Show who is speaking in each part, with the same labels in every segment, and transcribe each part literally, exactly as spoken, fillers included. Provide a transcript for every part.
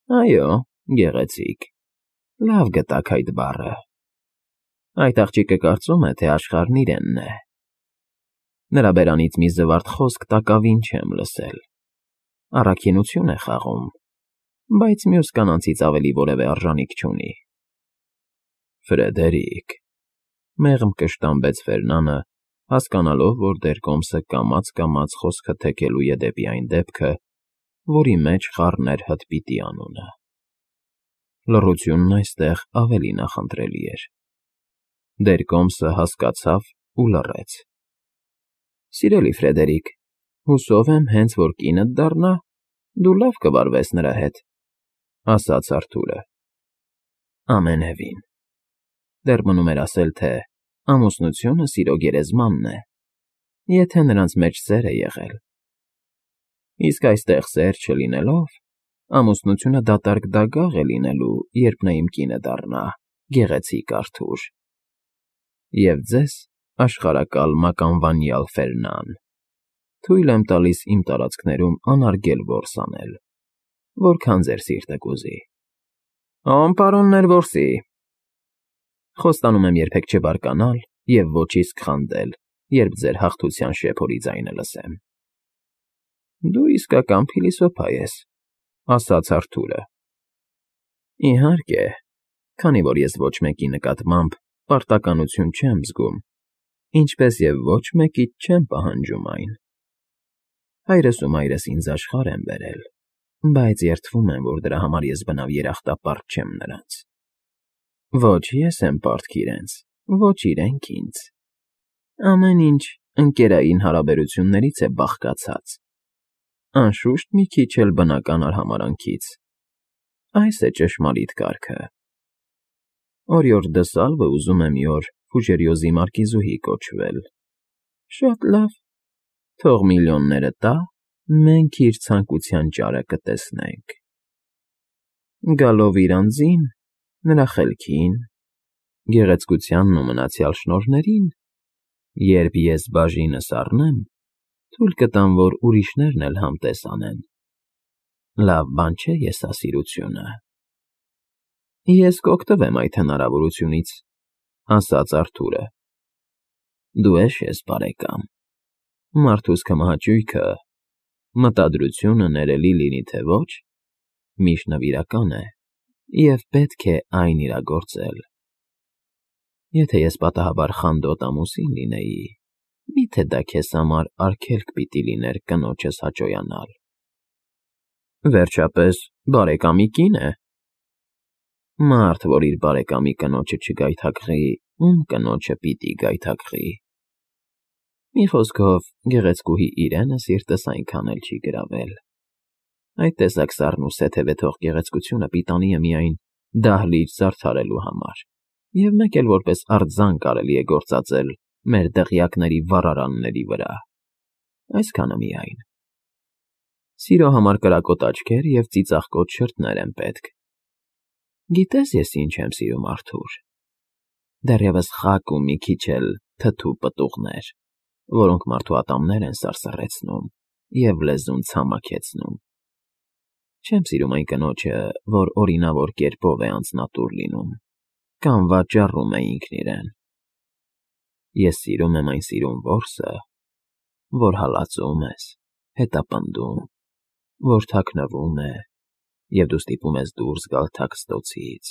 Speaker 1: Այո, գեղեցիկ, լավ գտաք այդ բառը։ Այդ աղջիկը կարծում է, թե աշխարհն իրենն է։ Նրա բերանից մի զվարթ խոսք տակավին չեմ լսել, առաքինություն է խաղում, բայց մյուս կանանցից ավելի որևէ արժանիք չունի։ Ֆրեդերիկ, մեղմ կշտամբեց Ֆերնանը, հասկանալով, որ դեռ կոմսը կամաց֊կամաց խոսքը թեքելու է դեպի այն դեպքը, որի մեջ խառն էր հտպիտի անունը։ Լռությունն այստեղ ավելի նախընտրելի էր։ Դեռ կոմսը հասկացավ ու լռեց։ Սիրելի Ֆրեդերիկ, հուսով եմ, հենց որ կինդ դառնա, դու լավ կվարվես նրա հետ, ասաց Արթուրը։ Ամենևին։ Դեռ մնում էր ասել, թե ամուսնությունը սիրո գերեզմանն է, եթե նրանց մեջ սեր է եղել։ Իսկ այստեղ սեր չլինելով, ամուսնությունը դատարկ դագաղ է լինելու, երբ նա իմ կինը դառնա, գեղեցիկ Արթուր։ Եվ ձեզ, աշխարհակալ մականվանյալ Ֆերնան, թույլ եմ տալիս իմ տարածքներում անարգել որս անել, որքան ձեր սիրտը կուզի։ Օ՜մ պարոններ որսի։ Խոստանում եմ երբեք չբարկանալ և ոչ իսկ խանդել, երբ ձեր հաղթության շեփորի ձայնը լսեմ։ Դու իսկական փիլիսոփա ես, ասաց Արթուրը։ Իհարկե, քանի որ ես ոչ մեկի նկատմամբ պարտականություն չեմ զգում, ինչպես և ոչ մեկից չեմ պահանջում այն։ Հայրս ու մայրս ինձ աշխարհ են բերել, բայց երդվում եմ, որ դրա համար ես բնավ երախտապարտ չեմ նրանց։ Ոչ ես եմ պարտք իրենց, ոչ իրենք ինձ։ Ամեն ինչ ընկերային հարաբերություններից է բաղկացած, անշուշտ մի քիչ էլ բնական արհամարհանքից։ Այս է ճշմարիտ կարգը։ Օրիորդ դը Սալվը ուզում է մի օր Ֆուժերիոզի մարկիզուհի կոչվել։ Շատ լավ, թող միլիոնները տա, մենք իր ցանկության ճարը կտեսնենք։ Գալով իր անձին, նրա խելքին, գեղեցկությանն ու մնացյալ շնորհներին, երբ ես բաժինս առնեմ, թույլ կտամ, որ ուրիշներն էլ համտես անեն։ Լավ բան չէ եսասիրությունը։ Ես կօգտվեմ այդ հնարավորությունից, ասաց Արթուրը։ Դու էշ ես, բարեկամ, մարդուս քմահաճույքը, մտադրությունը ներելի լինի թե ոչ, միշտ նվիրական է և պետք է այն իրագործել։ Եթե ես պատահաբար խանդոտ ամուսին լինեի, մի՞թե դա քեզ համար արգելք պիտի լիներ կնոջս հաճոյանալ։ Վերջապես, բարեկամի կին է։ Մարդ, որ իր բարեկամի կնոջը չգայթակղի, ում կնոջը պիտի գայթակղի։ Մի խոսքով, գեղեցկուհի Իրենը սիրտս այնքան էլ չի գրավել։ Այդ տեսակ սառնուսեթև է, թող գեղեցկությունը պիտանի է միայն դահլիճ զարդարելու համար, և մեկ էլ որպես արձան կարելի է գործածել մեր դղյակների վառարանների վրա։ Այսքանը միայն։ Սիրո համար կրակոտ աչքեր և ծիծաղկոտ շրթներ են պետք։ Գիտես ես ինչ եմ սիրում, Արթուր։ Դեռևս խաք ու մի քիչ էլ թթու պտուղներ, որոնք մարդու ատամներ են սարսռեցնում և լեզուն ցամաքեցնում։ Չեմ սիրում այն կնոջը, որ օրինավոր կերպով է անձնատուր լինում, կամ վաճառում է ինքն իրեն։ Ես սիրում եմ այն սիրուն որսը, որ հալածում ես, հետապնդում, որ թաքնվում է, և դու ստիպում ես դուրս գալ թաքստոցից,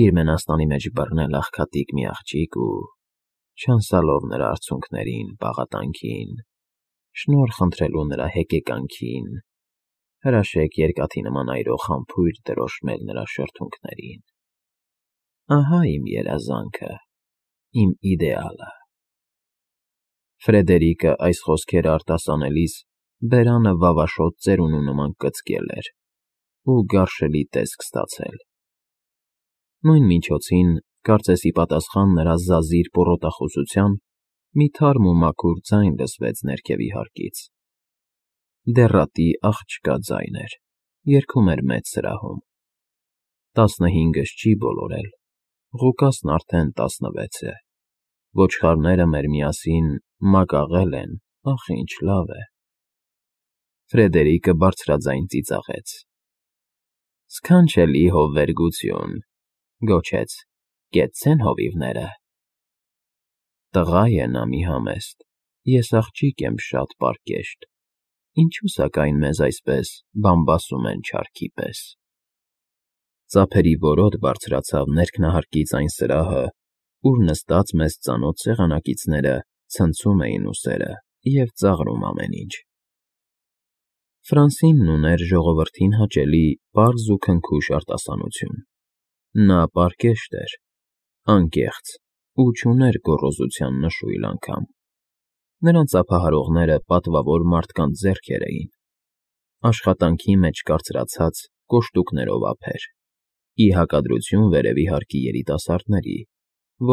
Speaker 1: իր մենաստանի մեջ բռնել աղքատիկ մի աղջիկ ու, չանցալով նրա արցունքներին, պաղատանքին, շնորհ խնդրելու նրա հեկեկանքին, հրաշեկ երկաթի նման այրող համբույր դրոշմել նրա շրթունքներին։ Ահա իմ երազանքը, իմ իդեալը։ Ֆրեդերիկը այս խոսքերը արտասանելիս բերանը վավաշոտ ծերունու նման կծկել էր ու գարշելի տեսք ստացել։ Նույն միջոցին, կարծես ի պատասխան նրա զազիր պոռոտախոսության, մի թարմ ու մաքուր ձայն լսվեց ներքևի հարկից։ Դեռատի աղջկա ձայն էր, երգում էր մեծ սրահում։ Տասնհինգս չի բոլորել, Ղուկասն արդեն տասնվեց է։ Ոչխարները մեր միասին մակաղել են, ախ, ինչ լավ է։ Ֆրեդերիկը բարձրաձայն ծիծաղեց։ Սքանչելի հովվերգություն, գոչեց, կեցցեն հովիվները։ Տղա է նա մի համեստ, ես աղջիկ եմ շատ պարկեշտ, ինչու սակայն մեզ այսպես բամբասում են չարքի պես։ Ծափերի որոտ բարձրացավ ներքնահարկից այն սրահը, ուր նստած մեզ ծանոթ սեղանակիցները ցնցում էին ուսերը և ծաղրում ամեն ինչ։ Ֆրանսինն ուներ ժողովրդին հաճելի պարզ ու քնքուշ արտասանություն։ Նա պարկեշտ էր, անկեղծ ու չուներ գոռոզության նշույլ անգամ։ Նրան ծափահարողները պատվավոր մարդկանց ձեռքեր էին, աշխատանքի մեջ կարծրացած կոշտուկներով ափեր, ի հակադրություն վերևի հարկի երիտասարդների,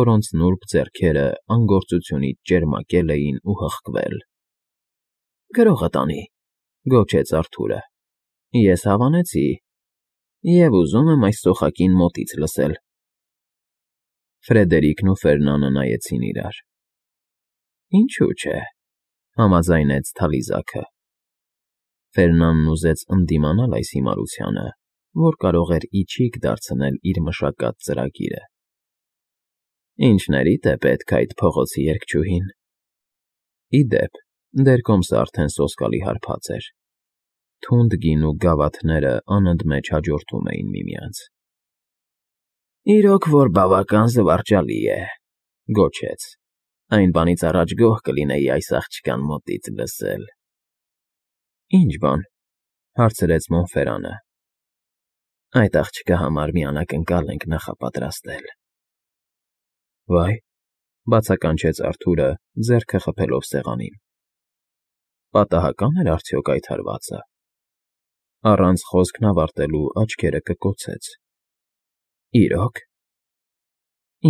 Speaker 1: որոնց նուրբ ձեռքերը անգործությունից ճերմակել էին ու հղկվել։ ֊ Գրողը տանի,֊ գոչեց Արթուրը,֊ ես հավանեցի և ուզում եմ այս սոխակին մոտից լսել։ Ֆրեդերիկն ու Ֆերնանը նայեցին իրար։ ֊ Ինչու՞ չէ,֊ համաձայնեց թալիզակը։ Ֆերնանն ուզեց ընդդիմանալ այս հիմարությանը, որ կարող էր ի չիք դարձնել իր մշակած ծրագիրը։ Ինչներիդ է պետք այդ փողոցի երգչուհին։ Ի դեպ, դեր կոմսը արդեն սոսկալի հարբած էր։ Թունդ գինու գավաթները անընդմեջ հաջորդում էին միմյանց։ ֊ Իրոք որ բավական զվարճալի է,֊ գոչեց,֊ այն բանից առաջ գոհ կլինեի այս աղջկան մոտից լսել։ ֊ Ի՞նչ բան,֊ հարցրեց Մոնֆերանը։ ֊ Այդ աղջկա համար մի անակնկալ ենք նախապատրաստել։ ֊ Վայ,֊ բացականչեց Արթուրը, ձեռքը խփելով սեղանին,֊ պատահակա՞ն էր արդյոք այդ հարվածը։ Առանց խոսքն ավարտելու աչքերը կկոցեց։ ֊ Իրո՞ք։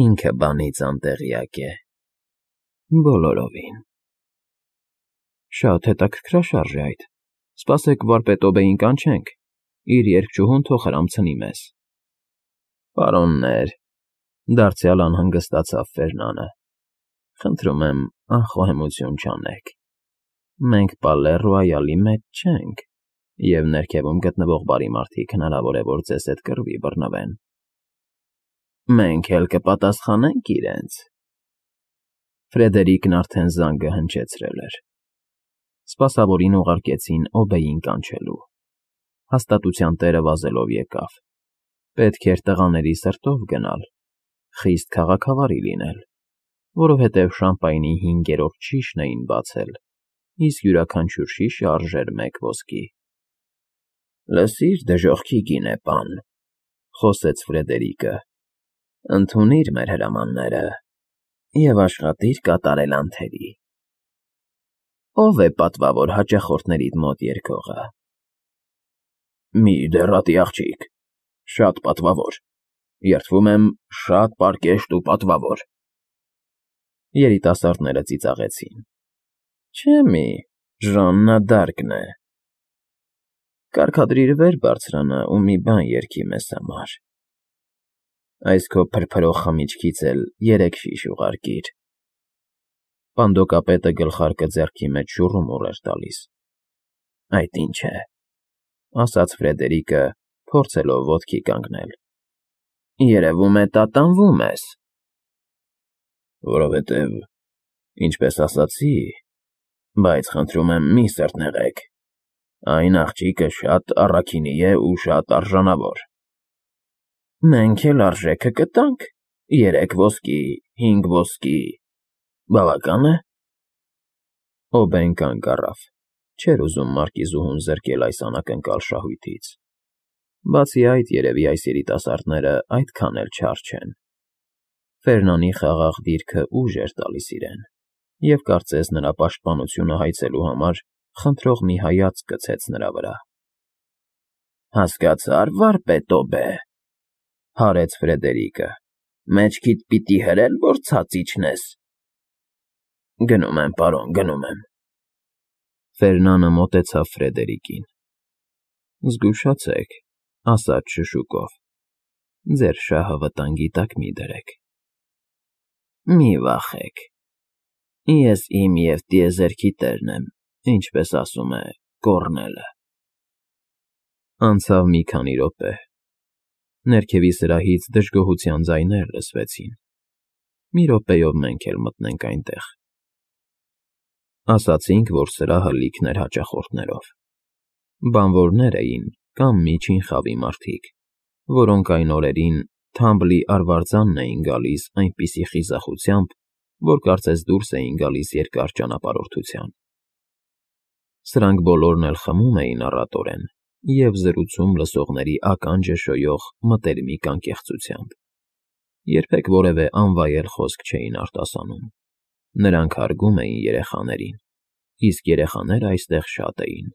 Speaker 1: Ինքը բանից անտեղյակ է։ Բոլորովին։ ֊ Շատ հետաքրքրաշարժ է այդ, սպասեք վարպետոբեին կանչենք, իր երգչուհուն թող հրամցնի մեզ։ ֊ Պարոններ,֊ դարձյալ անհանգստացավ Ֆերնանը,֊ խնդրում եմ անխոհեմություն չանեք։ Մենք Պալե Ռոայալի մեջ չենք, և ներքևում գտնվող բարի մարդիկ հնարավոր է, որ ձեզ հետ կռվի բռնվեն։ ֊ Մենք էլ կպատասխանենք իրենց։ Ֆրեդերիկն արդեն զանգը հնչեցրել էր։ Սպասավորին ուղարկեցին օբեին կանչելու։ Հաստատության տերը վազելով եկավ։ Պետք էր տղաների սրտով գնալ, խիստ քաղաքավարի լինել, որովհետև շամպայնի հինգերորդ շիշն էին բացել, իսկ յուրաքանչյուր շիշը արժեր մեկ ոսկի։ ֊ Լսիր, դժոխքի գինե պան,֊ խոսեց Ֆրեդերիկը,֊ ընդունիր մեր հրամանները և աշխատիր կատարել անթերի։ Ո՞վ է պատվավոր հաճախորդներիդ մոտ երգողը։ ֊ Մի դեռատի աղջիկ, շատ պատվավոր, երդվում եմ, շատ պարկեշտ ու պատվավոր։ Երիտասարդները ծիծաղեցին։ ֊ Չէ՞ մի, Ժաննա Դարկն է։ Կարգադրիր վեր բարձրանա ու մի բան երգի մեզ համար։ Այս քո փրփրող խմիչքից էլ երեք շիշ ուղարկիր։ Պանդոկապետը գլխարկը ձեռքի մեջ շուռումուռ էր տալիս։ ֊ Այդ ինչ է,֊ ասաց Ֆրեդերիկը, փորձելով ոտքի կանգնել։ ֊ Երևում է տատանվում ես։ ֊ Որովհետև, ինչպես ասացի, բայց խնդրում եմ մի սրտնեղեք, այն աղջիկը շատ առաքինի է ու շատ արժանավոր։ ֊ Մենք էլ արժեքը կտանք, երեք ոսկի, հինգ ոսկի, բավակա՞ն է։ Օբեն կանգ առավ, չէր ուզում մարկիզուհուն զրկել այս անակնկալ շահույթից։ Բացի այդ, երևի այս երիտասարդները այդքան էլ չար չեն։ Ֆերնանի խաղաղ դիրքը ուժ էր տալիս իրեն, և կարծես նրա պաշտպանությունը հայցելու համար խնդրող մի հայացք գցեց նրա վրա։ ֊ Հասկացա՞ր, վարպետոբե,֊ հարեց Ֆրեդերիկը,֊ մեջքիդ պիտի հրե՞լ, որ ցած իջնես։ ֊ Գնում եմ, պարոն, գնում եմ։ Ֆերնանը մոտեցավ Ֆրեդերիկին։ ֊ Զգուշացեք,֊ ասաց շշուկով,֊ ձեր շահը վտանգի տակ մի դրեք։ ֊ Մի վախեք, ես իմ և տիեզերքի տերն եմ, ինչպես ասում է Կոռնելը։ Անցավ մի քանի րոպե, Ներքևի սրահից դժգոհության ձայներ լսվեցին։ Մի րոպեով մենք էլ մտնենք այնտեղ։ Ասացինք, որ սրահը լիքն էր հաճախորդներով։ Բանվորներ էին կամ միջին խավի մարդիկ, որոնք այն օրերին Թամբլի արվարձանն էին գալիս այնպիսի խիզախությամբ, որ կարծես դուրս էին գալիս երկար ճանապարհորդության։ Սրանք բոլորն էլ խմում էին առատորեն և զրուցում լսողների ականջը շոյող մտերմիկ անկեղծությամբ։ Երբեք որևէ անվայել խոսք չէին արտասանում։ Նրանք հարգում էին երեխաներին, իսկ երեխաները այստեղ շատ էին,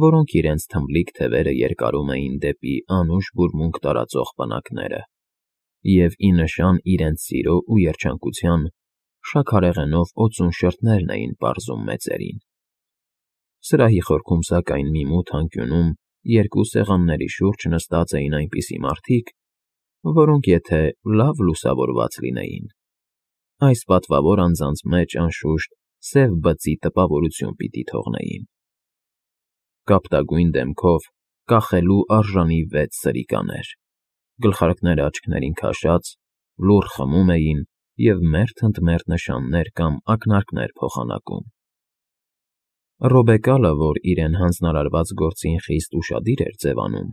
Speaker 1: որոնք իրենց թմբլիկ թևերը երկարում էին դեպի անուշ բուրմունք տարածող պնակները և, ի նշան իրենց սիրո ու երջանկության, շաքարեղենով օծուն շրթներն էին պարզում մեծերին։ Սրահի խորքում, սակայն, մի մութ անկյունում երկու սեղանների շուրջ նստած էին այնպիսի մարդիկ, որոնք, եթե լավ լուսավորված լինեին, այս պատվավոր անձանց մեջ, անշուշտ, սև բծի տպավորություն պիտի թողնեին։ Կապտագույն դեմքով, կախելու արժանի վեց սրիկաներ, գլխարկները աչքներին քաշած, լուռ խմում էին և մերթ ընդ մերթ նշաններ կամ ակնարկներ փոխանակում։ Ռոբեկալը, որ իրեն հանձնարարված գործին խիստ ուշադիր էր ձևանում,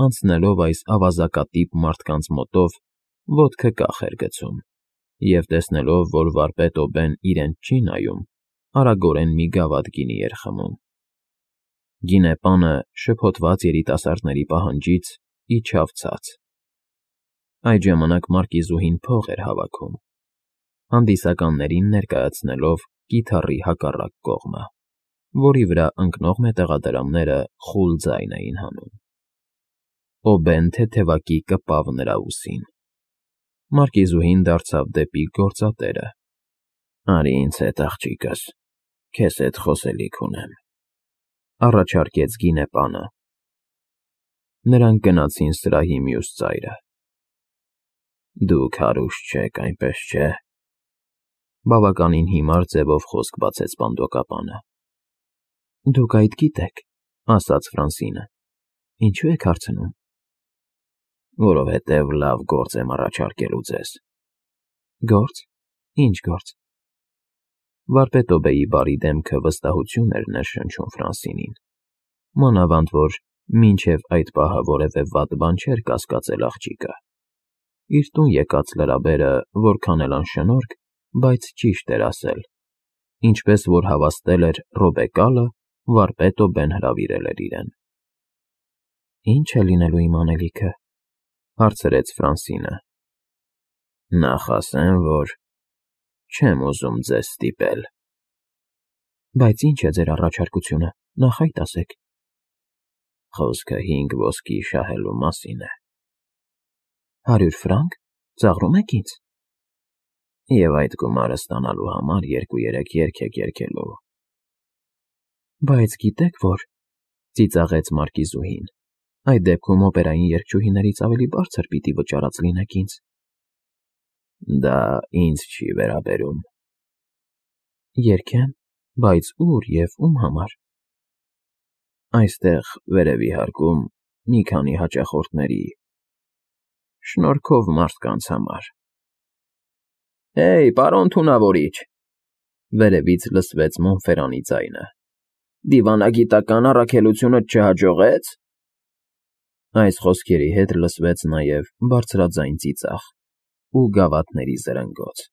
Speaker 1: անցնելով այս ավազակատիպ մարդկանց մոտով, ոտքը կախ էր գցում և, տեսնելով, որ վարպետ Օբեն իրեն չի նայում, արագորեն մի գավաթ գինի էր խմում։ Գինեպանը, շփոթված երիտասարդների պահանջից, իջավ ցած։ Այդ ժամանակ մարկիզուհին փող էր հավաքում, հանդիսականներին ներկայացնելով կիթառի հակառակ կողմը, որի վրա ընկնող մետաղադրամները խուլ ձայն էին հանում։ Օբեն թեթևակի կպավ նրա ուսին։ Մարկիզուհին դարձավ դեպի գործատերը։ ֊ Արի ինձ հետ, աղջիկս, քեզ հետ խոսելիք ունեմ,֊ առաջարկեց գինեպանը։ Նրանք գնացին սրահի մյուս ծայրը։ ֊ Դուք հարուստ չեք, այնպես չէ՞,֊ բավականին հիմար ձևով խոսք բացեց պանդոկապանը։ ֊ Դուք այդ գիտեք,֊ ասաց Ֆրանսինը։ Ինչո՞ւ եք հարցնում։ ֊ Որովհետև լավ գործ եմ առաջարկելու ձեզ։ ֊ Գործ… Ի՞նչ գործ։ Վարպետ Օբեի բարի դեմքը վստահություն էր ներշնչում Ֆրանսինին, մանավանդ որ մինչև այդ պահը որևէ վատ բան չէր կասկածել աղջիկը։ Իր տուն եկած լրաբերը որքան էլ անշնորհք, բայց ճիշտ էր ասել, ինչպես որ հավաստել էր Ռոբեկալը, վարպետ Օբեն հրավիրել էր իրեն։ ֊ Ի՞նչ է լինելու իմ անելիքը,֊ հարցրեց Ֆրանսինը։ ֊ Նախ ասեմ, որ չեմ ուզում ձեզ ստիպել։ ֊ Բայց ի՞նչ է ձեր առաջարկությունը, նախ այդ ասեք։ ֊ Խոսքը հինգ ոսկի շահելու մասին է։ ֊ Հարյուր ֆրանկ… Ծաղրում եք ինձ։ ֊ Եվ այդ գումարը ստանալու համար երկու֊երեք երգ եք երգելու։ ֊ Բայց գիտեք որ,֊ ծիծաղեց մարկիզուհին,֊ այդ դեպքում օպերային երգչուհիներից ավելի բարձր պիտի վճարած լինեք ինձ։ ֊ Դա ինձ չի վերաբերում։ ֊ Երգեմ, բայց ո՞ւր և ում համար։ ֊ Այստեղ, վերևի հարկում, մի քանի հաճախորդների… շնորհքով մարդկանց համար։ ֊ Հեյ, պարոն թունավորիչ,֊ վերևից լսվեց Մոնֆերանի ձայնը,֊ դիվանագիտական առաքելությունդ չհաջողե՞ց։ Այս խոսքերի հետ լսվեց նաև բարձրաձայն ծիծաղ ու գավաթների զրնգոց։